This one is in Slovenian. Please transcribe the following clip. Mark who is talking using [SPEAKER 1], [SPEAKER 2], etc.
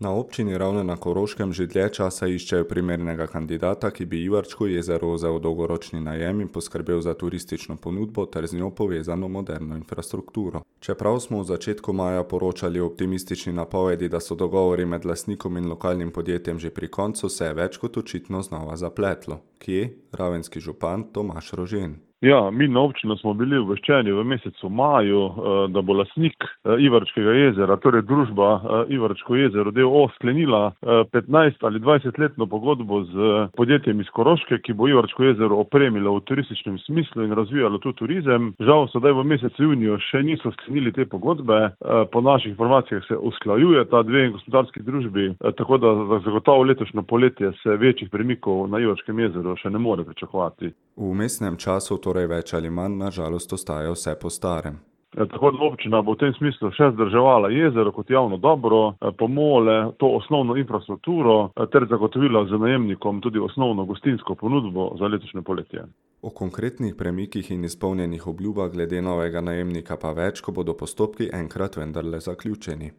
[SPEAKER 1] Na občini Ravne na Koroškem že dlje časa iščejo primernega kandidata, ki bi Ivarčko jezero vzel v dolgoročni najem in poskrbel za turistično ponudbo ter z njo povezano moderno infrastrukturo. Čeprav smo v začetku maja poročali o optimistični napovedi, da so dogovori med lastnikom in lokalnim podjetjem že pri koncu, se je več kot očitno znova zapletlo. Kje? Ravenski župan Tomaž Rožen.
[SPEAKER 2] Ja, mi na občino smo bili obveščeni v mesecu maju, da bo lastnik Ivarčkega jezera, torej družba Ivarčko jezero d.o.o. sklenila 15 ali 20-letno pogodbo z podjetjem iz Koroške, ki bo Ivarčko jezero opremilo v turističnem smislu in razvijalo tu turizem. Žal sedaj v mesecu juniju še niso sklenili te pogodbe. Po naših informacijah se usklajuje ta dve gospodarski družbi, tako da zagotovo letošnjo poletje se večjih premikov na Ivarčkem jezeru še ne more pričakovati.
[SPEAKER 1] V vmesnem času torej več ali manj na žalost ostaja vse po starem.
[SPEAKER 2] Tako da občina bo v tem smislu še vzdrževala jezero kot javno dobro, pomole to osnovno infrastrukturo ter zagotovila z najemnikom tudi osnovno gostinsko ponudbo za letošnje poletje.
[SPEAKER 1] O konkretnih premikih in izpolnjenih obljubah glede novega najemnika pa več, ko bodo postopki enkrat vendarle zaključeni.